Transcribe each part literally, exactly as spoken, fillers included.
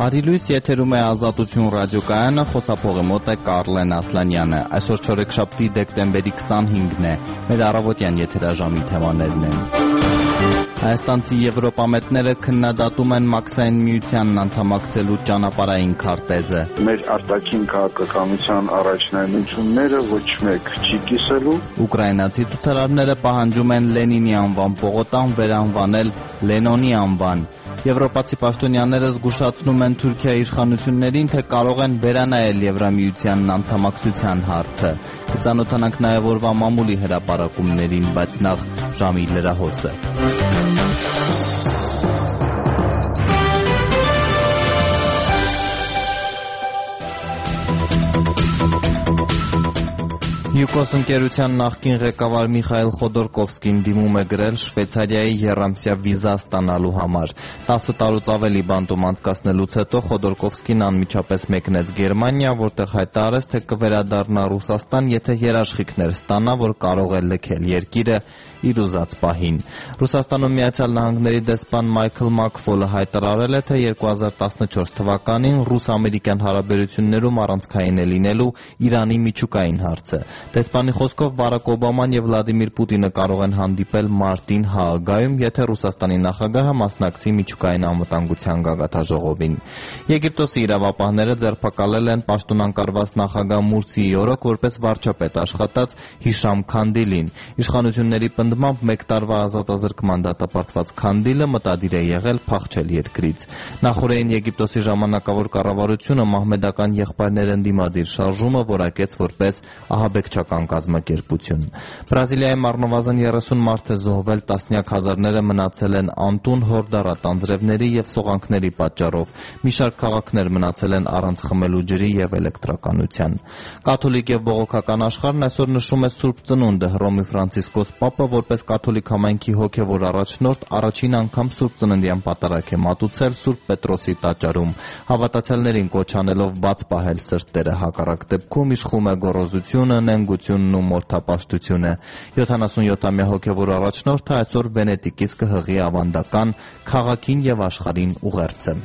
Բարի լույս, եթերում է Ազատություն ռադիոկայանը, խոսափողի մոտ է Կարլեն Ասլանյանը։ Այսօր չորեքշաբթի դեկտեմբերի քսանհինգն է, մեր առավոտյան եթերաժամի թեմաներն են։ Հայաստանցի եվրոպամետները քննադատում են Մաքսային միությանն անդամակցելու ճանապարհային քարտեզը։ Մեր արտաքին քաղաքականության առաջնահերթությունները ոչ մեկ չի կիսելու։ Ուկրաինացի ցուցարարները պահանջում են Լենինի անվան պողոտան վերանվանել Լենոնի անվան։ Եվրոպացի պաշտոնյաները զգուշացնում են Թուրքիայի իշխանություններին, թե կարող են վերանայել Եվրամիությանն անդամակցության հարցը։ Կծանոթանանք նաև օրվա մամուլի հրապարակումներին, բայց նախ ժամի լրահոսը։ Յուկոս ընկերության նախկին ղեկավար Միխայիլ Խոդորկովսկին դիմում է գրել Շվեյցարիայի եռամսյա վիզա ստանալու համար։ տասը տարուց ավելի բանտում անցկացնելուց հետո Խոդորկովսկին անմիջապես մեկնեց Գերմանիա, որտեղ հայտարարեց, թե կվերադառնա Ռուսաստան, եթե երաշխիքներ ստանա, որ կարող է լքել երկիրը իր ուզած պահին։ Ռուսաստանում Միացյալ Նահանգների դեսպան Մայքլ Մաքֆոլը հայտարարել է, թե երկու հազար տասնչորս թվականին ռուս-ամերիկյան հարաբերություններում առանցքային է լինելու Իրանի միջուկային հարցը։ Դեսպանի խոսքով Բարակ Օբաման եւ Վլադիմիր Պուտինը կարող են հանդիպել մարտին Հաագայում, եթե Ռուսաստանի նախագահը մասնակցի միջուկային անվտանգության գագաթաժողովին։ Եգիպտոսի իրավապահները ձերբակալել են պաշտոնանկարված նախագահ Մուրսիի օրոք որպես վարչապետ աշխատած Հիշամ Քանդիլին։ Իշխանությունների պնդմամբ մեկ տարվա ազատազրկման դատապարտված Քանդիլը մտադիր է եղել փախչել երկրից։ Նախորդին Եգիպտոսի ժամանակավոր կառավարությունը մահմեդական եղբայրներ ընդդիմադիր շարժումը որակեց որպես ահաբեկչական կազմակերպություն։ Բրազիլիայում առնվազն երեսուն մարդ է զոհվել, տասնյակ հազարները մնացել են անտուն հորդառատ անձրևների եւ սողանքների պատճառով։ Մի շարք քաղաքներ մնացել են առանց խմելու ջրի եւ էլեկտրականության։ Կաթոլիկ եւ բողոքական աշխարհն այսօր նշում է Սուրբ Ծնունդը։ Հռոմի Ֆրանցիսկոս Պապը որպես կաթոլիկ համայնքի հոգեվոր առաջնորդ առաջին անգամ Սուրբ Ծննդյան պատարագ է մատուցել Սուրբ Պետրոսի տաճարում։ Հավատացյալներին կոչ անելով բաց պահել սրտերը, հակառակ դեպքում իշխում է գոռոզությունը, նենգությունն ու մորթապաշտությունը։ յոթանասունյոթամյա հոգևոր առաջնորդը այսօր Վենետիկից կհղի ավանդական քաղաքին եւ աշխարհին ուղերձը։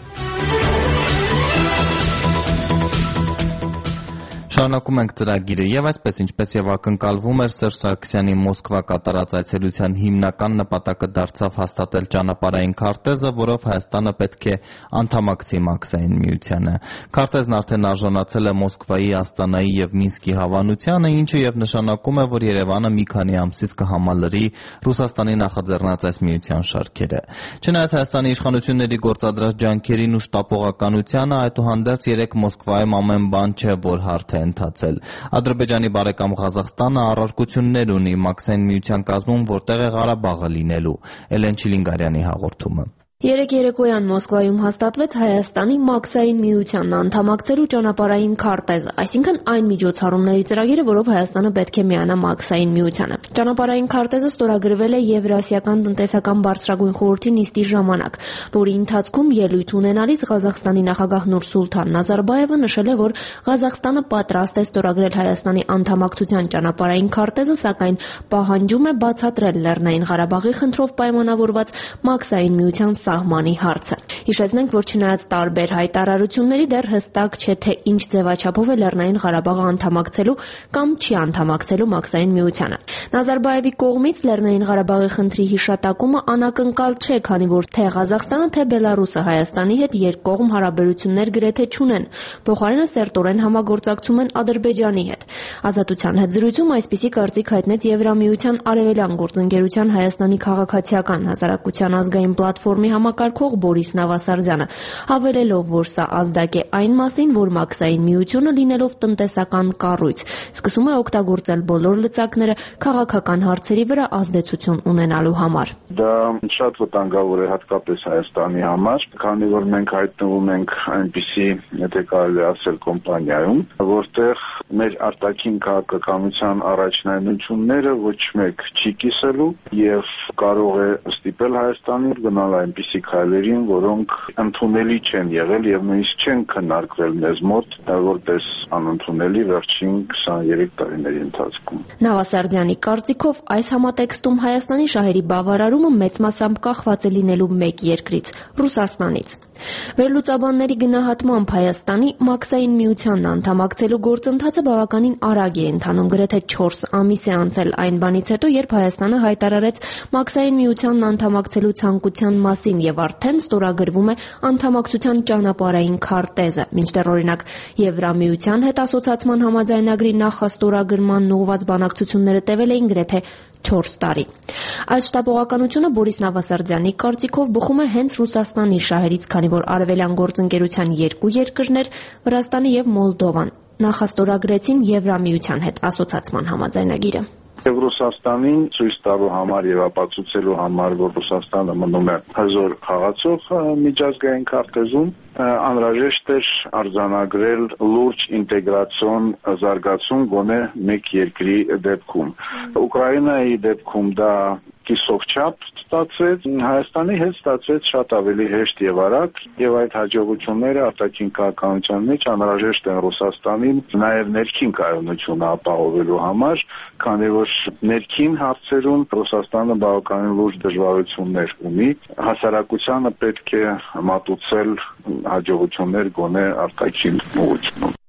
Շարունակում ենք ծրագիրը եւ այսպես ինչպես եւ ակնկալվում էր Սերժ Սարգսյանի Մոսկվա կատարած այցելության հիմնական նպատակը դարձավ հաստատել ճանապարհային քարտեզը, որով Հայաստանը պետք է անդամակցի Մաքսային միությանը։ Քարտեզն արդեն արժանացել է Մոսկվայի, Աստանայի եւ Մինսկի հավանությանը, ինչը եւ նշանակում է, որ Երևանը մի քանի ամսից կհամալրի Ռուսաստանի նախաձեռնած այս միության շարքերը։ Չնայած Հայաստանի իշխանությունների գործադրած ջանքերին ու շտապողականությանը, այդուհանդերձ երեք Մոսկվայում ամեն բան չէ, որ հարթ է ընթացել։ Ադրբեջանի բարեկամ Ղազախստանը առարկություններ ունի Մաքսային միության կազմում, որտեղ է Ղարաբաղը լինելու։ Էլեն Չիլինգարյանի հաղորդումը։ Երեկ երեկոյան Մոսկվայում հաստատվեց Հայաստանի Մաքսային միությանն անդամակցելու ճանապարհային քարտեզը, այսինքն այն միջոցառումների ծրագիրը, որով Հայաստանը պետք է միանա Մաքսային միությանը։ Ճանապարհային քարտեզը ստորագրվել է Եվրասիական տնտեսական բարձրագույն խորհրդի նիստի ժամանակ, որի ընթացքում ելույթ ունենալիս Ղազախստանի նախագահ Նուրսուլթան Նազարբաևը նշել է, որ Ղազախստանը պատրաստ է ստորագրել Հայաստանի անդամակցության ճանապարհային քարտեզը, սակայն պահանջում է բացատրել Լեռնային Ղարաբաղի խնդրով պայմանավորված Մաքսային միության սահմանի հարցը։ Հիշեցնենք, որ չնայած տարբեր հայտարարությունների դեռ հստակ չէ, թե ինչ ձևաչափով է Լեռնային Ղարաբաղը անդամակցելու կամ չի անդամակցելու Մաքսային միությանը։ Նազարբաևի կողմից Լեռնային Ղարաբաղի խնդրի հիշատակումը անակնկալ չէ, քանի որ թե Ղազախստանը, թե Բելարուսը Հայաստանի հետ երկկողմ հարաբերություններ գրեթե չունեն, փոխարենը սերտորեն համագործակցում են Ադրբեջանի հետ։ Ազատության հետ զրույցում այսպիսի կարծիք հայտնեց Եվրամիության Արևելյան գործընկերության Հայաստանի քաղաքացիական հասարակության ազգային պլատֆորմի համակարգող Բորիս Նավասարդյանը, հավելելով, որ սա ազդակ է այն մասին, որ Մաքսային միությունը լինելով տնտեսական կառույց, սկսում է օգտագործել բոլոր լծակները քաղաքական հարցերի վրա ազդեցություն ունենալու համար։ Դա շատ վտանգավոր է հատկապես Հայաստանի համար, քանի որ մենք հայտնվում ենք այնպիսի, եթե կարելի ասել, կոմպանիայում, որտեղ մեր արտաքին քաղաքականության առաջնահերթությունները ոչ մեկ չի կիսելու եւ կարող է ստիպել Հայաստանին գնալ այնպիսի քայլերին, որոնք ընդունելի չեն եղել եւ նույնիսկ չեն քննարկվել մեզ մոտ, որպես անընդունելի վերջին քսաներեք տարիների ընթացքում։ Նավասարդյանի կարծիքով այս համատեքստում Հայաստանի շահերի բավարարումը մեծ մասամբ կախված է լինելու մեկ երկրից՝ Ռուսաստանից։ Վերլուծաբանների գնահատմամբ Հայաստանի Մաքսային միությանն անդամակցելու գործընթացը բավականին արագ է ընթանում, գրեթե չորս ամիս է անցել այն բանից հետո, երբ Հայաստանը հայտարարեց Մաքսային միությանն անդամակցելու ցանկության մասին եւ արդեն ստորագրվում է անդամակցության ճանապարհային քարտեզը, մինչդեռ օրինակ Եվրամիության հետ ասոցիացման համաձայնագրի նախաստորագրման ուղղված բանակցությունները տևել էին գրեթե չորս տարի։ Այս շտապողականությունը Բորիս Նավասարդյանի կարծիքով բխում է հենց Ռուսաստանի շահերից, քանի որ արևելյան գործընկերության երկու երկրներ՝ Վրաստանը եւ Մոլդովան, նախաստորագրեցին Եվրամիության հետ ասոցիացման համաձայնագիրը։ Եվ Ռուսաստանին ցույց տալու համար եւ ապացուցելու համար, որ Ռուսաստանը մնում է հզոր խաղացող միջազգային քարտեզում, անհրաժեշտ էր արձանագրել լուրջ ինտեգրացիոն զարգացում գոնե մեկ երկրի դեպքում։ Ուկրաինայի դեպքում դա կիսով չափ ստացվեց, Հայաստանի հետ ստացվեց շատ ավելի հեշտ եւ արագ, եւ այդ հաջողությունները արտաքին քաղաքականության մեջ անհրաժեշտ են Ռուսաստանին նաեւ ներքին կայունությունը ապահովելու համար, քանի որ ներքին հարցերում Ռուսաստանը բավականին լուրջ դժվարություններ ունի, հասարակությանը պետք է մատուցել հաջողություններ գոնե արտաքին ուղղությունում։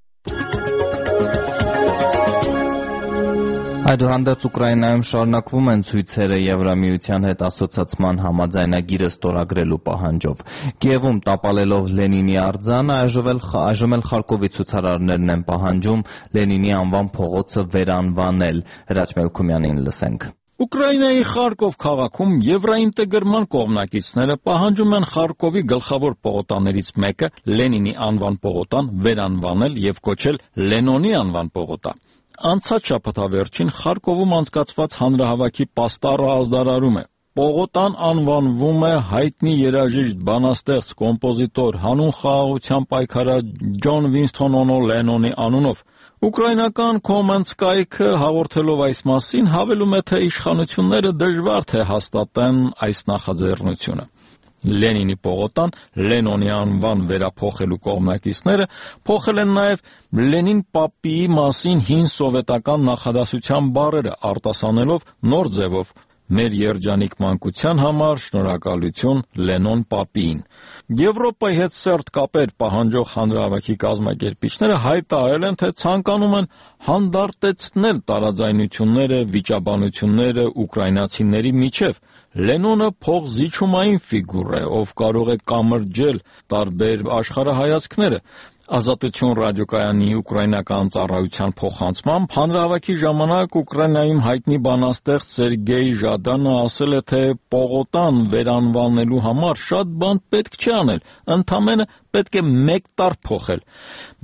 Այդուհանդերձ Ուկրաինայում շարունակվում են ցույցերը Եվրամիության հետ ասոցիացման համաձայնագիրը ստորագրելու պահանջով։ Կիևում տապալելով Լենինի արձանը այժմ էլ Խարկովի ցուցարարներն են պահանջում Լենինի անվան փողոցը վերանվանել։ Հրաչ Մելքումյանին լսենք։ Ուկրաինայի Խարկով քաղաքում եվրաինտեգրման կողմնակիցները պահանջում են Խարկովի գլխավոր պողոտաներից մեկը Լենինի անվան պողոտան վերանվանել եւ կոչել Լենոնի անվան պողոտա։ Անցած շաբաթավերջին Խարկովում անցկացված հանրահավաքի պաստառը ազդարարում է։ Պողոտան անվանվում է հայտնի երաժիշտ, բանաստեղծ, կոմպոզիտոր, հանուն խաղաղության պայքարած Ջոն Վինսթոն Օնո Լենոնի անունով։ Ուկրաինական Commons կայքը հաղորդելով այս մասին հավելում է, թե իշխանությունները դժվար թե հաստատեն այս նախաձեռնությունը։ Լենինի պողոտան Լենոնի անվան վերափոխելու կողմնակիցները փոխել են նաև Լենին պապիի մասին հին սովետական նախադասության բառերը, արտասանելով նոր ձևով մեր երջանիկ մանկության համար շնորհակալություն Լենոն պապիին։ Եվրոպայի հետ սերտ կապեր պահանջող հանրահավաքի կազմակերպիչները հայտարարել են, թե ցանկանում են հանդարտեցնել տարաձայնությունները, վիճաբանությունները ուկրաինացիների միջև։ Լենոնը փողզիջումային ֆիգուր է, ով կարող է կամրջել տարբեր աշխարհայացքները։ Ազատություն ռադիոկայանի ուկրաինական ծառայության փոխանցմամբ հանրահավաքի ժամանակ Ուկրաինայում հայտնի բանաստեղծ Սերգեյ Ժադանը ասել է, թե պողոտան վերանվանելու համար շատ բան պետք չի անել, ընդամենը պետք է մեկ տար փոխել,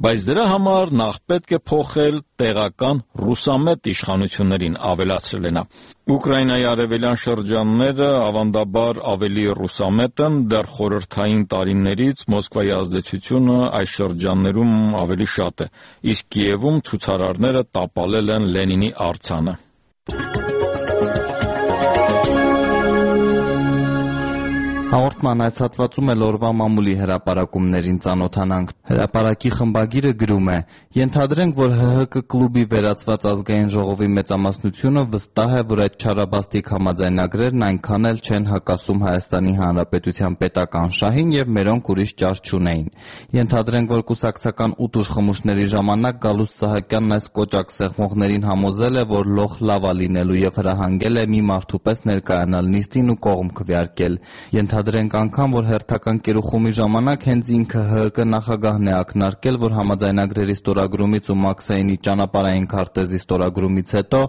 բայց դրա համար նախ պետք է փոխել տեղական ռուսամետ իշխանություններին, ավելացրել է նա։ Ուկրաինայի արևելյան շրջանները ավանդաբար ավելի ռուսամետ են, դեռ խորհրդային տարիներից Մոսկվայի ազդեցությունը այս շրջաններում ավելի շատ է, իսկ Կիևում ցուցարարները տապալել են Լենինի արձանը։ Հաղորդման այս հատվածում էլ օրվա մամուլի հրապարակումներին ծանոթանանք։ Հրապարակի խմբագիրը գրում է. «Ենթադրենք, որ ՀՀԿ կլուբի վերածված ազգային ժողովի մեծամասնությունը վստահ է, որ այդ չարաբաստիկ համաձայնագրերն այնքան էլ չեն հակասում Հայաստանի Հանրապետության պետական շահին եւ մերոնք ուրիշ ճար չունեին։ Ենթադրենք, որ կուսակցական ուտուշ խմուշների ժամանակ Գալուստ Սահակյանն այս կոճակ սեղմողներին համոզել է, որ լոխ լավա լինելու եւ հրահանգել է մի մարդու պես ներկայանալ նիստին ու կողմ քվեարկել։ Ենթադրենք անգամ, որ հերթական կերուխումի ժամանակ հենց ինքը ՀՀԿ նախագահն է ակնարկել, որ համաձայնագրերի ստորագրումից ու Մաքսայինի ճանապարհային քարտեզի ստորագրումից հետո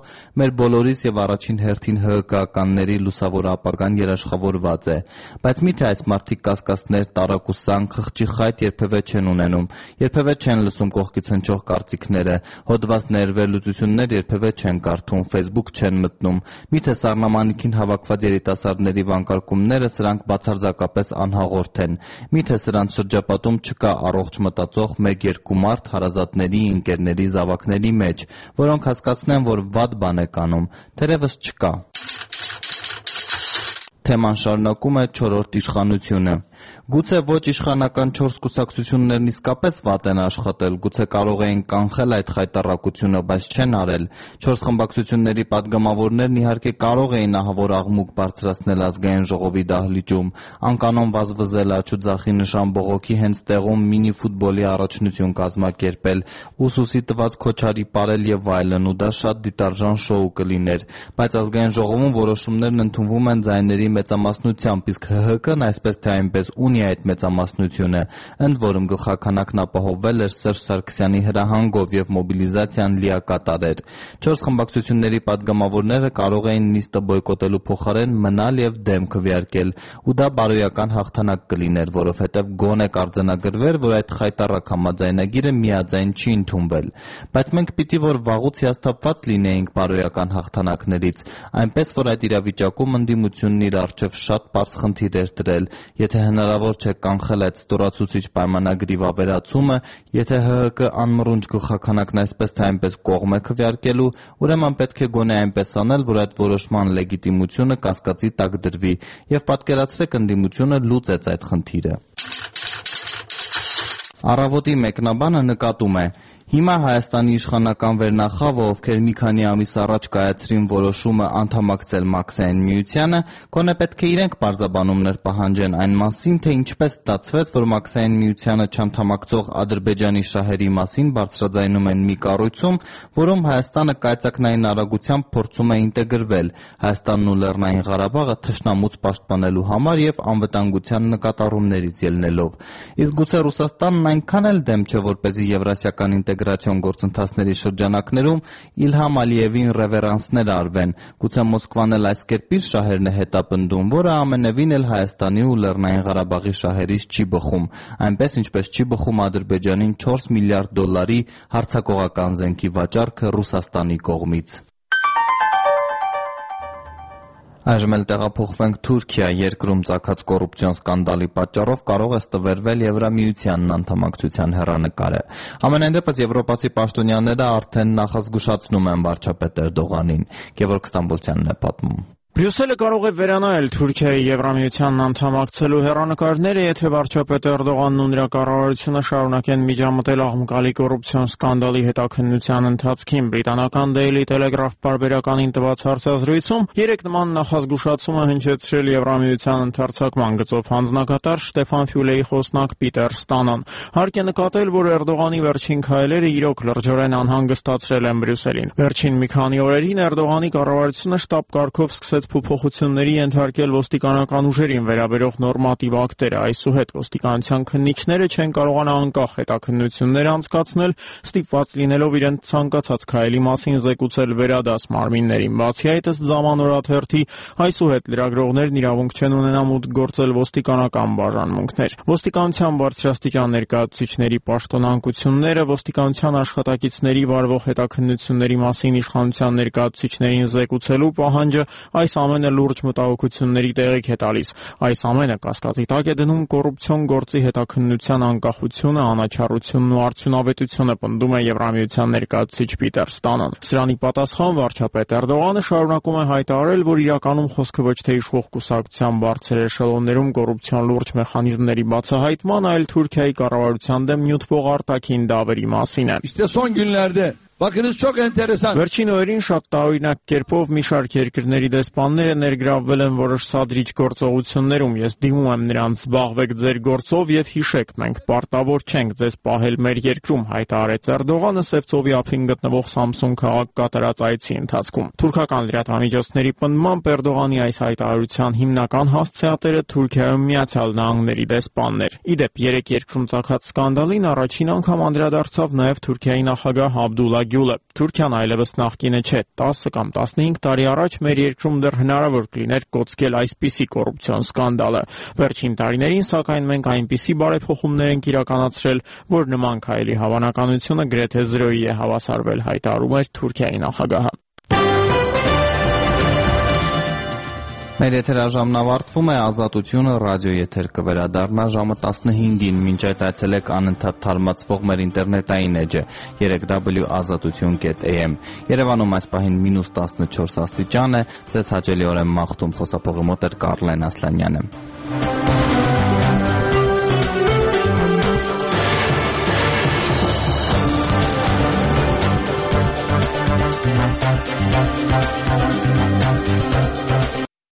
մեր բոլորիս եւ առաջին հերթին ՀՀԿ-ականների լուսավոր ապագան երաշխավորված է։ Բայց միթե այս մարդիկ կասկածներ, տարակուսան, խղճի խայտ երբևէ չեն ունենում, երբևէ չեն լսում կողքից հնչող կարծիքները, հոդվածներ, վերլուծություններ երբևէ չեն կարդում, Facebook չեն մտնում։ Միթե սառնամանիքին հավաքված երիտասարդների վանկարկումները սրանք բացարձակապես անհաղորդ են։ Միթե սրանց շրջապատում չկա առողջ մտածող մեկ-երկու մարդ հարազատների, ընկերների, զավակների մեջ, որոնք հասկացնեն, որ վատ բան է կանում, թերևս չկա։ Թեման շարունակում է չորրորդ իշխանությունը։ Գուցե ոչ իշխանական չորս կուսակցություններն իսկապես վատ են աշխատել, գուցե կարող էին կանխել այդ խայտառակությունը, բայց չեն արել։ Չորս խմբակցությունների պատգամավորներն իհարկե կարող էին ահավոր աղմուկ բարձրացնել ազգային ժողովի դահլիճում, անկանոն վազվզել աջուձախի նշան բողոքի հենց տեղում մինի ֆուտբոլի առաջնություն կազմակերպել, ուսուսի տված քոչարի պարել եւ այլն, ու դա շատ դիտարժան շոու կլիներ, բայց ազգային ժողովում որոշումներն ընդունվում են ձայների մեծամասնությամբ, իսկ Հ Հ Կ-ն այսպես թե այնպես ունի այդ մեծամասնությունը, ընդ որում գլխաքանակն ապահովվել էր Սերժ Սարգսյանի հրահանգով եւ մոբիլիզացիան լիակատար էր։ Չորս խմբակցությունների պատգամավորները կարող էին նիստը բոյկոտելու փոխարեն մնալ եւ դեմ քվեարկել, ու դա բարոյական հաղթանակ կլիներ, որովհետեւ գոնե կարձանագրվեր, որ այդ խայտառակ համաձայնագիրը միաձայն չի ընդունվել։ Բայց մենք պիտի որ վաղուց հիասթափված լինեինք բարոյական հաղթանակներից, այնպես որ այդ իրավիճակում ընդդիմությունն իր առջև շատ պարզ խնդիր էր դրել, եթե հնարավոր չէ կանխել այդ ստորացուցիչ պայմանագրի վավերացումը, եթե Հ Հ Կ անմռունչ գլխաքանակն այսպես թե այնպես կողմ է քվեարկելու, ուրեմն պետք է գոնե այնպես անել, որ այդ որոշման լեգիտիմությունը կասկածի տակ դրվի, եւ պատկերացրեք ընդդիմությունը լուծեց այդ խնդիրը։ Առավոտի մեկնաբանը նկատում է. Հիմա Հայաստանի իշխանական վերնախավը, ովքեր մի քանի ամիս առաջ կայացրին որոշումը անդամակցել Մաքսային միությանը, գոնե պետք է իրենք պարզաբանումներ պահանջեն այն մասին, թե ինչպես ստացվեց, որ Մաքսային միությանը չանդամակցող Ադրբեջանի շահերի մասին բարձրաձայնում են մի կառույցում, որում Հայաստանը կայծակնային արագությամբ փորձում է ինտեգրվել, Հայաստանն ու Լեռնային Ղարաբաղը թշնամուց պաշտպանելու համար եւ անվտանգության նկատառումներից ելնելով։ Իսկ գուցե Ռուսաստանն այնքան էլ դեմ չէ, որպեսզի եվրասիական ինտեգրացիոն գործընթացների շրջանակներում Իլհամ Ալիևին ռևերանսներ արվեն, գուցե Մոսկվան էլ այս կերպիր շահերն է հետապնդում, որը ամենևին էլ Հայաստանի ու Լեռնային Ղարաբաղի շահերից չի բխում, այնպես ինչպես չի բխում Ադրբեջանին չորս միլիարդ դոլարի հարձակողական զենքի վաճառքը Ռուսաստանի կողմից։ Այժմ էլ տեղափոխվենք Թուրքիա, երկրում ծագած կոռուպցիոն սկանդալի պատճառով կարող է ստվերվել Եվրամիությանն անդամակցության հեռանկարը։ Համենայն դեպս եվրոպացի պաշտոնյաները արդեն նախազգուշացնում են վարչապետ Էրդողանին։ Գևորգ Ստամբոլցյանն է պատմում։ Բրյուսելը կարող է վերանայել Թուրքիայի Եվրամիությանն անդամակցելու հեռանկարները, եթե վարչապետ Էրդողանն ու նրա կառավարությունը շարունակեն միջամտել աղմկալի կոռուպցիոն սկանդալի հետաքննության ընթացքին։ Բրիտանական Daily Telegraph պարբերականին տված հարցազրույցում երեք նման նախազգուշացում է հնչեցրել Եվրամիության ընդարձակման գծով հանձնակատար Շտեֆան Ֆյուլեի խոսնակ Պիտեր Ստանոն։ Հարկ է նկատել, որ Էրդողանի վերջին քայլերը իրոք լրջորեն անհանգստացրել են Բրյուսելին։ Վերջին մի քանի օրերին Էրդողանի կառավարությունը շտապ կարգով սկսեց փոփոխությունների ենթարկել ոստիկանական ուժերին վերաբերող նորմատիվ ակտերը, այսուհետ ոստիկանության քննիչները չեն կարողանա անկախ հետաքննություններ անցկացնել, ստիպված լինելով իրենց ցանկացած քայլի մասին զեկուցել վերադաս մարմիններին։ Բացի այդ, ըստ Զամանորաթերթի, այսուհետ լրագրողներն իրավունք չեն ունենա մուտք գործել ոստիկանական բաժանմունքներ։ Ոստիկանության բարձրաստիճան ներկայացուցիչների պաշտոնանկությունները, ոստիկանության աշխատակիցների վարվող հետաքննությունների մասին իշխանության ներկայացուցիչներին զեկուցելու պահանջը այս ամենը լուրջ մտահոգությունների տեղիք է տալիս։ Այս ամենը կասկածի տակ է դնում կոռուպցիոն գործի հետաքննության անկախությունը, անաչառությունն ու արդյունավետությունը, պնդում է Եվրամիության ներկայացուցիչ Պիտեր Ստանոն։ Սրանի պատասխան վարչապետ Էրդողանը շարունակում է հայտարարել, որ իրականում խոսքը ոչ թե իշխող կուսակցության բարձր էշելոններում կոռուպցիոն լուրջ մեխանիզմների բացահայտման, այլ Թուրքիայի կառավարության դեմ նյութվող արտաքին դավերի մասին է։ Bakınız çok enteresan. Վերջին օրերին շատ տարօրինակ կերպով մի շարք երկրների դեսպանները ներգրավվել են որոշ սադրիչ գործողություններում։ Ես դիմում եմ նրանց զբաղվեք ձեր գործով եւ հիշեք, մենք պարտավոր չենք ձեզ պահել մեր երկրում, հայտարարեց Էրդողանը Սևծովի ափին գտնվող Սամսուն քաղաք կատարած այցի ընթացքում։ Թուրքական լրատվամիջոցների պնդմամբ Էրդողանի այս հայտարարության հիմնական հասցեատերը Թուրքիայում Միացյալ Նահանգների դեսպաններ։ Իդեպ երեք երկրում ծագած սկանդալին առաջին անգամ անդրադարձավ նաեւ Թուրքիայի նախագահ Աբդուլլա Գյուլը։ Թուրքիան այլևս նախկինը չէ։ տասը կամ տասնհինգ տարի առաջ մեր երկրում դեռ հնարավոր կլիներ կոծկել այսպիսի կոռուպցիոն սկանդալը։ Վերջին տարիներին, սակայն, մենք այնպիսի բարեփոխումներ ենք իրականացրել, որ նման քայլի հավանականությունը գրեթե զրոյի է հավասարվել, հայտարարում էր Թուրքիայի նախագահը։ Մեր եթերաժամն ավարտվում է, Ազատությունը ռադիո եթեր կվերադառնա ժամը տասնհինգին, մինչ այդ այցելեք անընդհատ թարմացվող մեր ինտերնետային էջը երեք w ազատություն կետ a m։ Երևանում այս պահին մինուս տասնչորս աստիճան է, ձեզ հաճելիորեն մաղթում, խոսափողի մոտ էր Կարլեն Ասլանյանը։